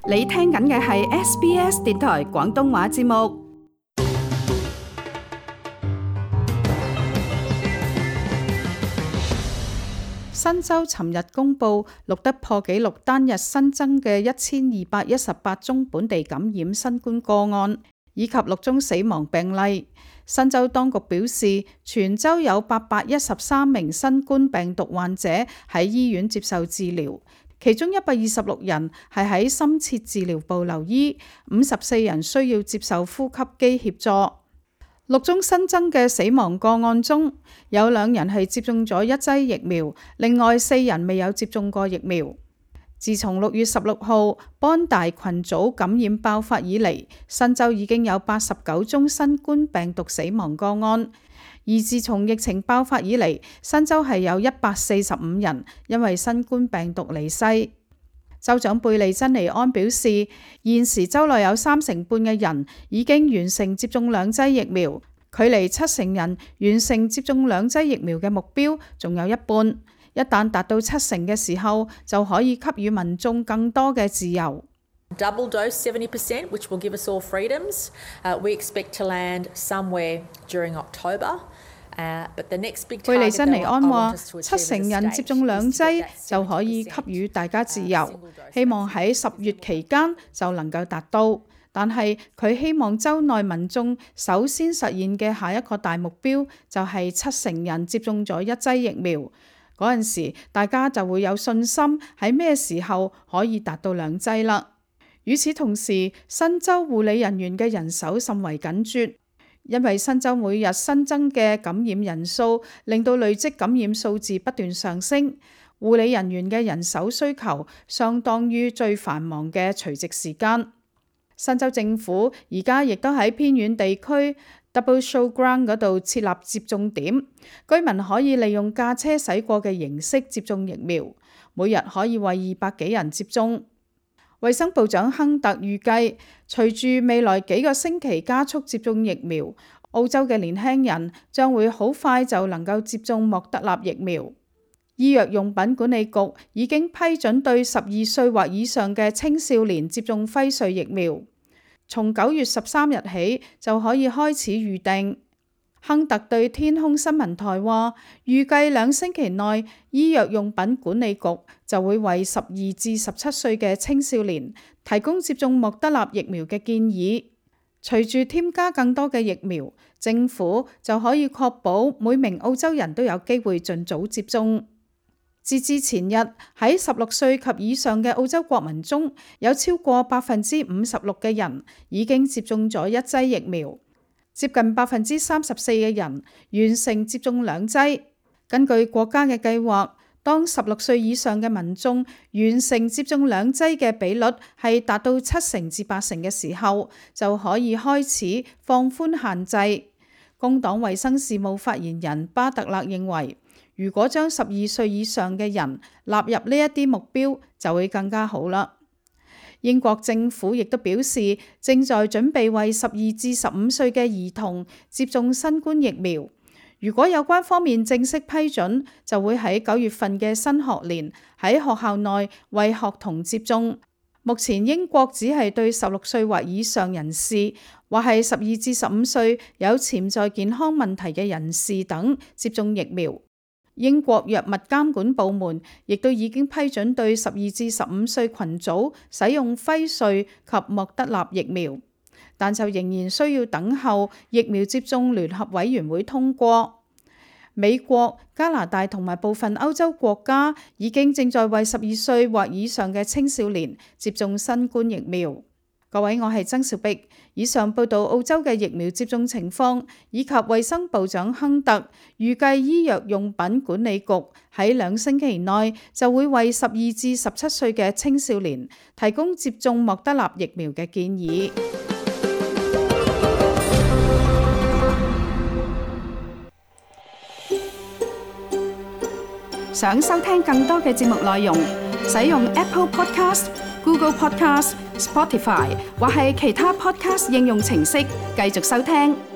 你聽緊嘅係 SBS 電台廣東話節目。新州尋日公布錄得破紀錄單日新增嘅1218宗本地感染新冠個案，以及6宗死亡病例。新州當局表示，全州有813名新冠病毒患者喺醫院接受治療，其中126人係喺深切治療部留醫，54人需要接受呼吸機協助。6宗新增嘅死亡個案中，有2人係接種咗1劑疫苗，另外4人未有接種過疫苗。自從6月16號邦大群組感染爆發以嚟，新州已經有89宗新冠病毒死亡個案。而自從疫情爆發以嚟，新州係有145人因為新冠病毒離世。州長貝利珍尼安表示，現時州內有30%嘅人已經完成接種2劑疫苗，距離70%人完成接種2劑疫苗嘅目標仲有一半。一旦達到70%嘅時候，就可以給予民眾更多嘅自由。Double dose 70%, which will give us all freedoms. We expect to land somewhere during October. 貝利珍尼安話，70%人接種2劑就可以給予大家自由，希望喺10月期間就能夠達到。但係佢希望州內民眾首先實現嘅下一個大目標就係70%人接種咗1劑疫苗。嗰陣時，大家就會有信心喺咩時候可以達到2劑啦。與此同時，新州護理人員嘅人手甚為緊絀，因為新州每日新增嘅感染人數令到累積感染數字不斷上升，護理人員嘅人手需求相當於最繁忙嘅除夕時間。新州政府而家亦都喺偏遠地區 Double Showground 嗰度設立接種點，居民可以利用駕車駛過嘅形式接種疫苗，每日可以為200幾人接種。衛生部長亨特預計，隨住未來幾個星期加速接種疫苗，澳洲嘅年輕人將會好快就能夠接種莫德納疫苗。醫藥用品管理局已經批准對12歲或以上嘅青少年接種輝瑞疫苗，從9月13日起就可以開始預訂。亨特對天空新聞台話，預計2星期內，醫藥用品管理局就會為12至17歲嘅青少年提供接種莫德納疫苗嘅建議。隨住添加更多嘅疫苗，政府就可以確保每名澳洲人都有機會盡早接種。截至前日，喺16歲及以上嘅澳洲國民中，有超過56%嘅人已經接種咗1劑疫苗。接近34%嘅人完成接種2劑。根據國家嘅計劃，當16歲以上嘅民眾完成接種2劑嘅比率係達到70%至80%嘅時候，就可以開始放寬限制。工黨衛生事務發言人巴特勒認為，如果將12歲以上嘅人納入呢一啲目標，就會更加好啦。英國政府亦都表示，正在準備為12至15歲嘅兒童接種新冠疫苗。如果有關方面正式批准，就會喺9月份嘅新學年喺學校內為學童接種。目前英國只係對16歲或以上人士，或係12至15歲有潛在健康問題嘅人士等接種疫苗。英國藥物監管部門亦都已經批准對12至15歲群組使用輝瑞及莫德納疫苗，但就仍然需要等候疫苗接種聯合委員會通過。美國、加拿大同埋部分歐洲國家已經正在為12歲或以上嘅青少年接種新冠疫苗。各位，我係曾兆碧。以上報道澳洲嘅疫苗接種情況，以及衛生部長亨特預計醫藥用品管理局喺2星期內就會為12至17歲嘅青少年提供接種莫德納疫苗嘅建議。想收聽更多嘅節目內容，使用 Apple Podcast、Google Podcast、Spotify 或係其他 Podcast 應用程式繼續收聽。